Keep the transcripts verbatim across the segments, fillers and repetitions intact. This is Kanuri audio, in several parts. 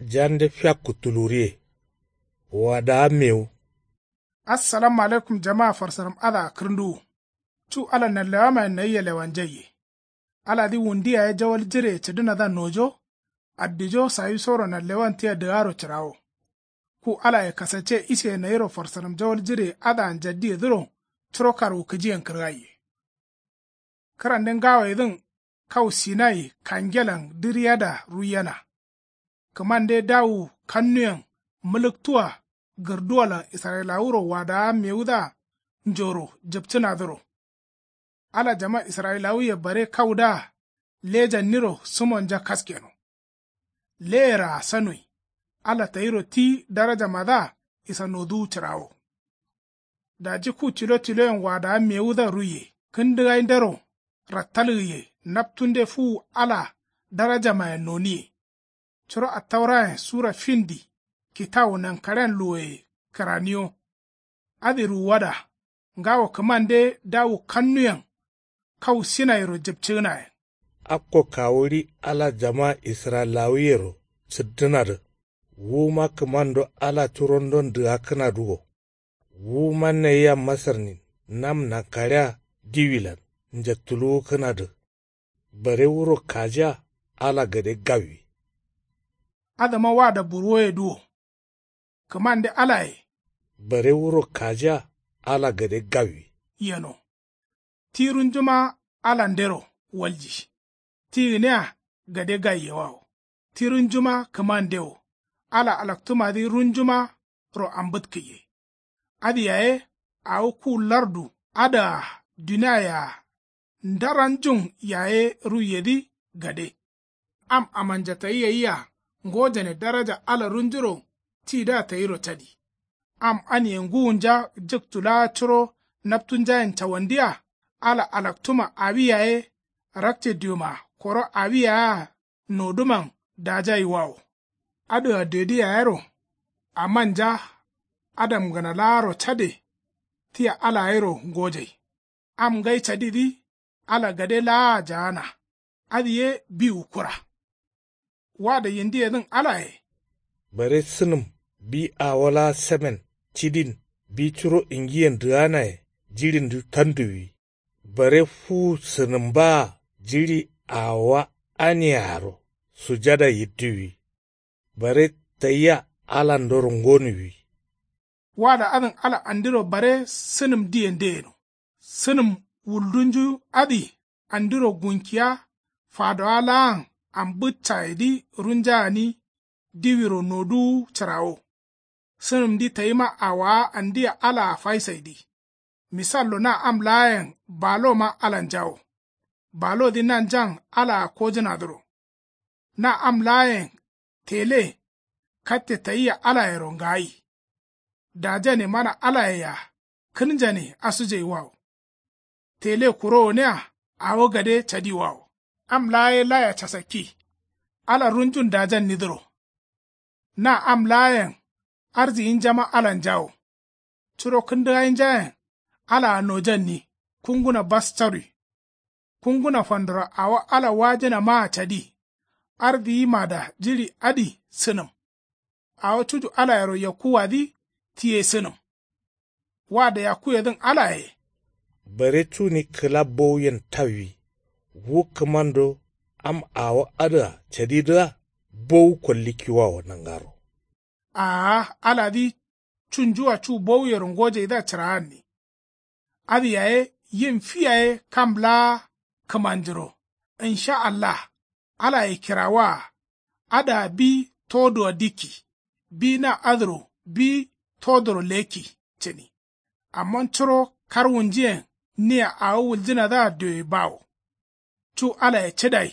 Jande fiakku tuluriye. Wadaa mewu. Assalamu alaikum jamaa farsaram adǝa kǝrǝnduwu. Cu ala nanlewamayen nayia lewanjaiye. Aladǝ wundi yaye jawal jireye cǝdǝnadǝa nojo. Addijo sawisoro nanlewan tia dǝgaro cǝrawo. Ku alaye kasacce isiye nayiro farsaram jawal jireye adǝa njaddiyedǝro. Curo karwukǝjiyen kǝrgaiye. Kǝrande ngawoyedǝn kau sinai kangelan dǝriyada ruiyena. Kǝmande dawu kannuyen mǝlǝktuwa gǝrduwalan israyilawuro wadawa mewudǝa njoro jǝpcǝnadǝro. Ala jama israyilawuye bare kaudǝa lejanniro sǝmonja kaskeno. Leyeraa sanoi. Ala tayiro ti darajamadǝa isa noduwu cǝrawo. Daji ku tilo tiloyen wadawa mewudǝa ruiye kǝndǝgaindero rattalgǝye naptunde fuwu ala darajamayen noniye. Curo attaurayen sura findi kitawu nankaɍen luwoye kǝraniyo. Adǝ ruwuwada ngawo kǝmande dawu kannuyen kau sinairo jǝpcǝgǝnayen. Akko kawuɍi ala jama israyilawuyero cǝddǝnadǝ. Wuma kǝmando ala curondon dǝgakkǝnadǝ wo. Wuma nayia masarnin nam nankaɍea diwilan njattuluwukkǝnadǝ. Bare wuro kajiya ala gade gawwi. Adǝma wada burwoyedǝ wo. Kǝmande alaye. Bare wuro kajiya ala gade gawwi. Yeno. Ti runjuma alandero walji. Ti gǝniya gade gaiyewawo. Ti runjuma kǝmande wo. Ala alaktumadǝ runjumaro ambǝtkǝye. Adǝ yaye awo ku lardu adǝa duniaye-a ndaranjun yaye ruiyedǝ gade. Am amanja tayi yayia ngojane daraja ala runjuro tidǝa tayiro cadi. Am anie ngǝwunja jǝktu laa curo naptunjayen cawandiya ala alaktuma awi yaye rakce dioma koro awi yaye-a nodǝman dajaiwawo. Adǝa dedǝ yayero amanja adamgǝna laaro cade. Tia alayero ngojai. Am ngai cadidǝ ala gade laa jaana. Adǝ ye biwu kura. Wada yindiyedǝn alaye. Bare sǝnǝm bi awo laa semen cidin bi curo ingiyen dǝganaye jiɍindǝ tanduwi. Bare fuwu sǝnǝmbaa jiɍi awowa aniaro sujada yidduwi. Bare tayia alandoro ngonuwi. Wada adǝn ala andiro bare sǝnǝm diyende yeno. Sǝnǝm wuldunju adǝ andiro gunkiya fadowa laan ambǝccayedǝ runja gǝni diwiro noduwu cǝrawo. Sǝnǝmdǝ tayima awowa andia alaa faisaidǝ. Misallo na am laayen baloma alanjawo. Balodǝ nanjan alaa kojǝnadǝro. Na am laayen tele katte tayia alayero ngayi. Dajane mana alaye-a kǝnjane asujaiwawo. Tele kuro gǝnia awo gade cadiwawo. Am laa ye laya casakki. Ala runjun dajannidǝro. Na am laayen arziyinjama alanjawo. Curo kǝndǝgainjayen alaa nojanni kunguna bas carwi. Kunguna fandoro awo ala wajǝnamaa cadi. Ardiyimada jiɍi adǝ sǝnǝm. Awo cuju alayero yakkuwadǝ ti ye sǝnǝm. Wada yakkuyedǝn alaye. Bare cuni kǝla bowuyen tawwi. Wu kǝmando am awo adǝa cadidǝa bowu kollikkiwawo nangaro. Aa aladǝ cunjuwa cu bowuyero ngojaidǝa cǝraanni. Adǝ yaye yim fi yaye kam laa kǝmanjuro. Insha allah alaye kirawaa. Adǝa bi todoa dikki. Bi na adǝro bi todoro lekki cǝni. Amma curo karwunjiyen nia awo wuljǝnadǝa dioye bawo. Cu alaye cǝdai.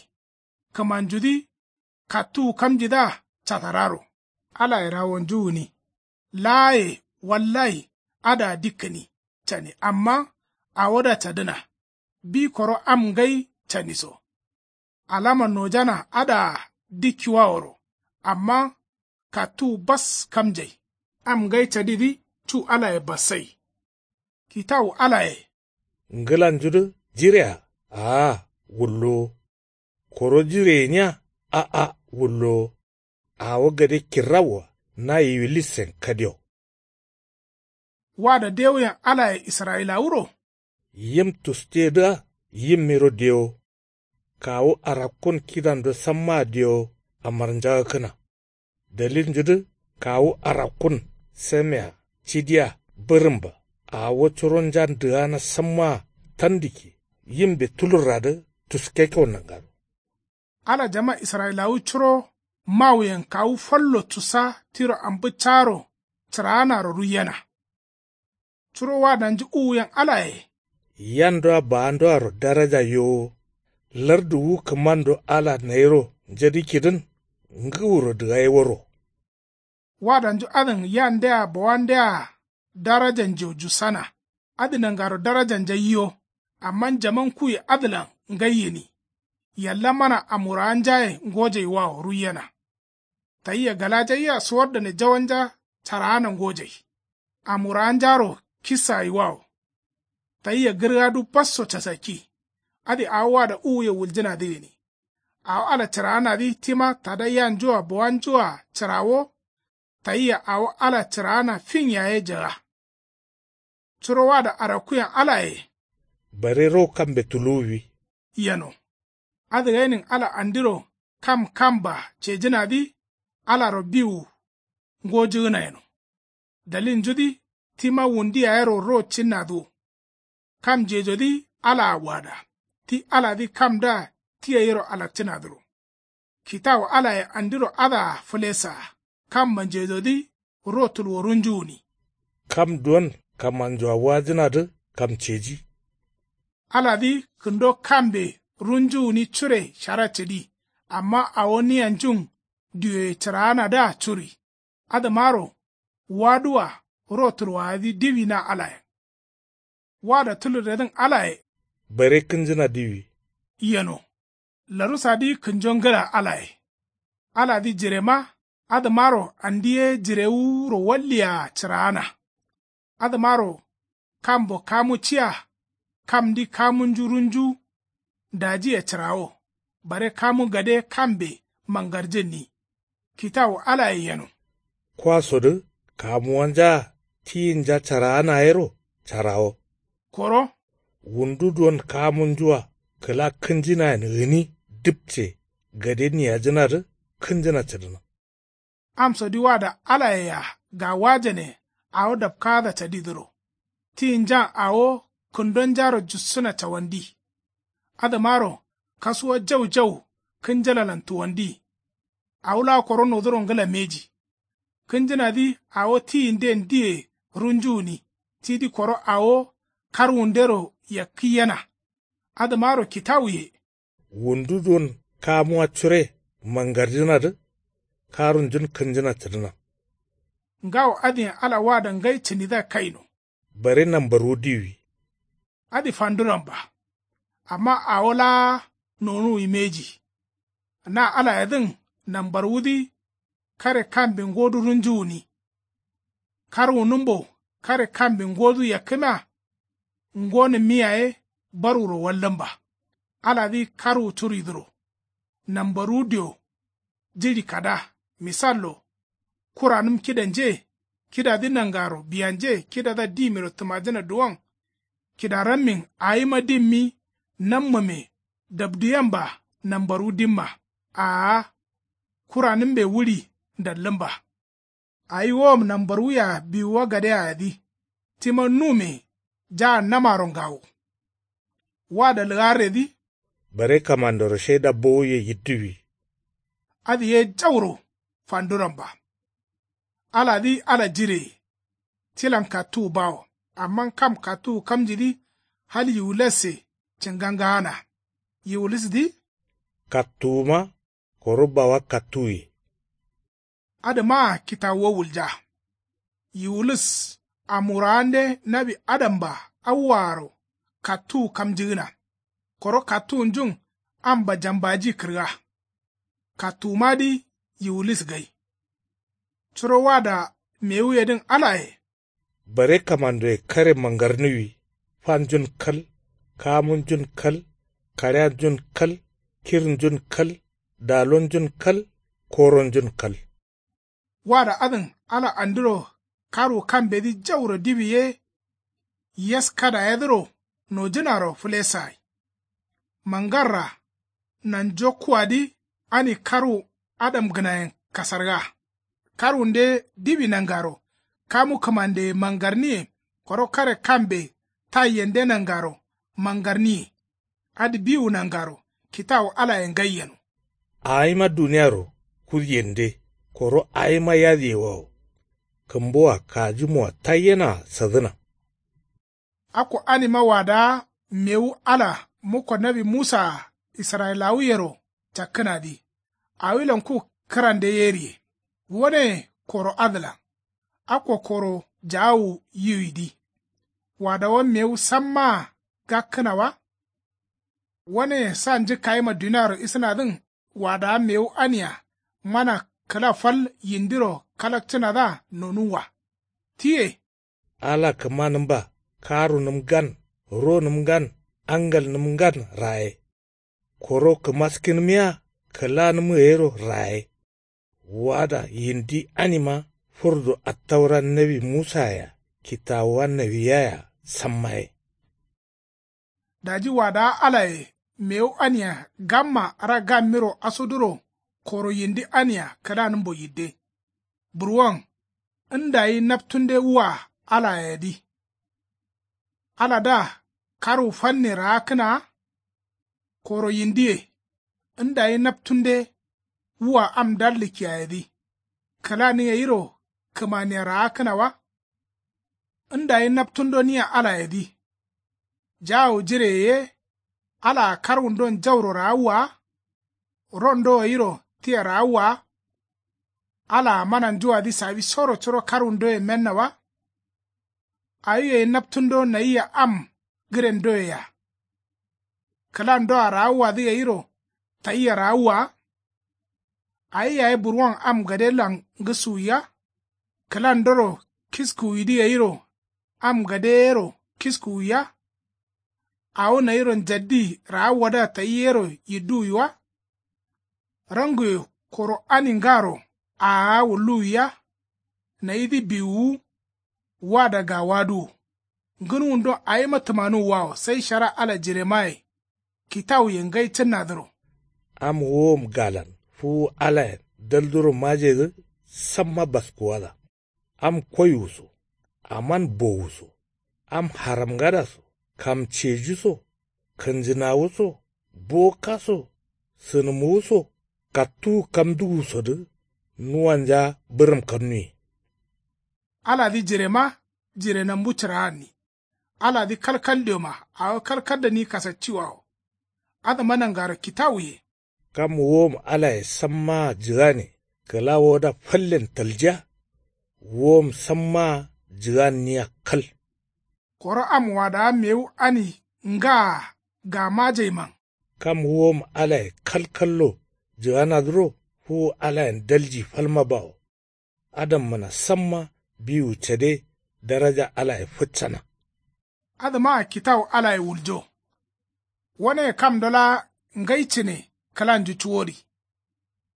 Kǝmanjudǝ kattuwu kamjidǝa catararo. Alaye rawonju gǝni. Laaye wallayi adǝa dikkǝni cani amma awodǝa cadǝna. Bi koro am ngai caniso. Alama nojana adǝa dikkiwaworo. Amma kattuwu bas kamjai. Am ngai cadidǝ cu alaye bassai. Kitawu alaye. Ngǝlanjudǝ jirea? Aa wullowo. Koro jire gǝnia? A'a wullowo. Awo gade kirrawoa na yiwilisen kadio. Wada dewuyen alaye israyilawuro. Yim tustedǝa yimmiro dewo. Kawu arakkun kidando sammaa dewo amarnjagǝkkǝna. Dalilnjudǝ kawu arakkun semea cidia bǝrǝmba. Awo curonjan dǝgana sammaa tandǝkke yimbe tulurradǝ tuskekkeo nangaro. Ala jama israyilawu curo mawuyen kawu fallo tusa tiro ambǝ caaro cǝraanaro ruiyena. Curo wadanju uwuyen alaye. Yandoa baandoaro daraja yowo. Lardu wu kǝmando ala nayiro njadǝkkidǝn ngǝwuro dǝgaiworo. Wadanju adǝn yandea bawandea darajanjeo jusana. Adǝ nangaro darajanja yiyo. Amma jaman kuye adǝlan ngai gǝni. Yallamana amurawanjaye ngojaiwawo ruiyena. Tayia galajaiya suwardane jawanja caraana ngojai. Amurawanjaro kissagaiwawo. Tayia gǝrgadu basso casakki. Adǝ awo wada uwuye wuljǝnadǝ gǝni. Awo ala cǝraanadǝ tima tada yanjua bawanjua cǝrawo. Tayia awo ala cǝraana fin yaye jaga. Curo wada arakkuyen alaye. Bare ro kambe tuluwwi. Yeno. Adǝ gainin ala andiro kam kamba cejǝnadǝ. Alaro biwu ngojǝgǝna yeno. Dalilnjudǝ tima wundi yayero ro cinnadǝ wo. Kam jejodǝ alaa wada. Ti aladǝ kamdǝa ti gairo alakcǝnadǝro. Kitawu alaye andiro adǝa fǝlesaa. Kamma njedodǝ ro tulworunju gǝni. Kam duwon kamanjua wajǝnadǝ kam ceji. Aladǝ kǝndo kambe runju gǝni cure shara cǝdi. Amma awo niyanjun diyoye cǝraanadǝa curi. Adǝmaro waduwa ro tulwoyadǝ diwi na alayen. Wada tulurredǝn alaye. Bare kǝnjǝna diwi. Yeno. Larusadǝ kǝnjo ngǝla alaye. Aladǝ jirema adǝmaro andi ye jirewuro walliyaa cǝraana. Adǝmaro kambo kamu ciya. Kamdǝ kamunju runju dajiye cǝrawo. Bare kamu gade kambe mangarjǝnni. Kitawu alaye yeno. Kwasodǝ kamuwanjaa tiyinja caraana yero carawo. Koro. Wundu duwon kamunjua kǝla kǝnjǝnayen gǝni dǝpce gade niyajǝnadǝ kǝnjǝna cǝdǝna. Amsodǝ wada alayea gawajane awo dapkaada cadidǝro. Tiyinjan awo kǝndonjaro jussǝna cawandi. Adǝmaro kasuwa jau jau kǝnjalalan tuwandi. Awo laa koro noduro ngǝla mbeji. Kǝnjǝnadǝ awo tiyinden diye runju gǝni tidǝ koro awo karwundero yakkǝyyena. Adǝmaro kitawuye. Wundu duwon kamuwa cure mangarjǝnadǝ karunjun kǝnjǝna cǝdǝna. Ngawo adǝyen ala wada ngai cǝnidǝa kaino. Bare nambarwu diwi. Adǝ fanduramba. Amma awo laa nonuwi mbeji. Na alayedǝn nambarwudǝ kare kambe ngodu runju gǝni. Karwunǝmbo kare kambe ngodu yakkǝmea. Ngonǝmmi yaye barwuro wallǝmba. Aladǝ karwu curidǝro. Nambarwu dio jiɍi kada. Misallo. Kuranǝm kidanje. Kidadǝ nangaro biyanje kidadǝa dimiro tǝmajǝna duwon. Kidarammin awima dimmi. Nammume dabduyemba. Nambarwu dimma. Aa. Kuranǝmbe wuri ndallǝmba. Awi wom nambarwuya biwuwa gade ayadǝ. Tima nume jaa namaro ngawo. Wada lǝgarredǝ. Bare kamandoro shaida bowuye yidduwi. Adǝ ye jauro fanduramba. Aladǝ ala jireye. Tilan kattuwu bawo. Amma kam kattuwu kamjidǝ hal yiwulasse cǝngangaana. Yiwulisdǝ. Kattuwuma koro bawa kattuwuye. Adǝmaa kitawuwa wulja. Yiwulis amurawande nawi adamba awwaaro kattuwu kamjigǝna. Koro kattuwunjun amba jambaji kǝrga. Kattuwumadǝ yiwulis gai. Curo wada mewuyedǝn alaye. Bare kamandoye kare mangarnuwi. Fanjun kal. Kamunjun kal. Kaɍeanjun kal. Kirnjun kal. Dalonjun kal. Koronjun kal. Wada adǝn ala andiro karwu kambedǝ jauro diwi ye. Yeskadayedǝro nojǝnaro fǝlesagai. Mangarra nanjokkuwadǝ ani karwu adamgǝnayen kasarga. Karwunde diwi nangaro kamu kǝmandeye mangarniye. Koro kare kambe taiyende nangaro mangarniye. Adǝ biwu nangaro kitawu alaye ngai yeno. Awima duniyaro kudiyende koro awima yadiyewawo. Kǝmbuwa kajumowa taiyena sadǝna. Akko anima wadaa mewu ala mukko nawi musaa israyilawuyero cakkǝnadǝ. Awilan ku kǝrande yeriye. Waneye koro adǝlan akko koro jaawu yiwidǝ. Wadawa mewu sammaa gakkǝna wa. Waneye sa njǝkkayima duniaro isǝnadǝn. Wadawa mewu ania mana kǝla fal yindiro kalakcǝnadǝa nonuwwa. Tiye. Ala kǝmanǝmba karunǝm ngan ronǝm ngan angalnǝm ngan raye. Koro kǝmaskinǝmiya kǝlanǝm gayiro raye. Wada yindi anima fǝrdu attaura nawi musayea kitawuwa nawiyayea sammaye. Daji wadawa alaye mewu ania gamma ra gammiro asoduro koro yindi ania kǝlanǝmbo yidde. Burwon ndayi naptunde wua alayedǝ. Aladǝa karwu fanne raakkǝnaa. Koro yindiye ndayi naptunde wua am dallikkiyayedǝ. Kǝlani gayiro kǝmaniya raakkǝna wa. Ndayi naptundo nia alayedǝ. Jaawu jireye ye. Alaa karwundon jauro raawwa wa. Rondo gayiro tia raawwa wa. Alaa mananjuwadǝ sawisoro curo karwundoye menna wa. Awi gai naptundo nayia am gǝrendoyea. Kǝlandoa raawuwadǝ gayiro tayia raawuwa wa. Awi yaye burwon am gadelan ngǝskuwiya. Kǝlandoro kiskuwidǝ gayiro am gadeyero kiskuwiya. Awo nayiro njaddi raawuwadǝa tayi yero yidduwwi wa. Ranguwe koro ani ngaro aaga wulluwwiya. Nayidǝ biwuwu. Wada gawaduwo. Ngǝnuwundon awima tǝmanuwwawo sai shara ala jiremaye kitawuye ngai cǝnnadǝro. Am wuwom galan fuwu alayen dalduro majedǝ. Samma baskuwada. Am koiwuso. Aman bowuso. Am haramngadaso. Kamcejuso. Kǝnjǝnawuso. Bokaso. Sǝnǝmuwuso. Kattuwu kamduwusodǝ. Nuwanja bǝrǝm kannuye. Aladǝ jirema jirenambu cǝraanni. Aladǝ kalkal dioma awo kalkal dani kasacciwawo. Adǝma nangaro kitawuye. Kam wuwom alaye sammaa jǝgane kǝla woda fallen taljiya. Wuwom sammaa jǝganniya kal. Koro am wadawa mewu ani ngaa gamajaiman. Kam wuwom alaye kalkallo jǝganadǝro fuwu alayen dalji falma bawo. Adammǝna samma biwu cade daraja alaye fǝccana. Adǝmaa kitawu alaye wuljo. Waneye kamdo laa ngai cǝne kǝlanju cuwori.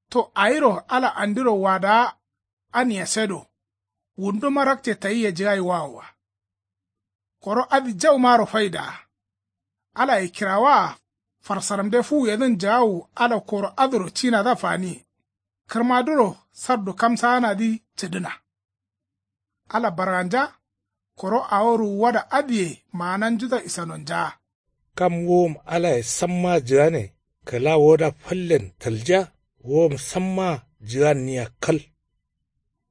To awiro ala andiro wadawa ania sedo. Wunduma rakce tayia jǝgaiwawo wa. Koro adǝ jaumaro faidaa. Alaye kirawaa farsaramde fuwuyedǝn jagawu ala koro adǝro cinadǝa faniye. Kǝrmaduro sardu kamsaanadǝ cǝdǝna. Ala barganja. Koro awo ruwuwada adǝye maananjudǝa isanonjaa. Kam wuwom alaye sammaa jǝgane kǝla woda fallen taljiya. Wuwom sammaa jǝganniya kal.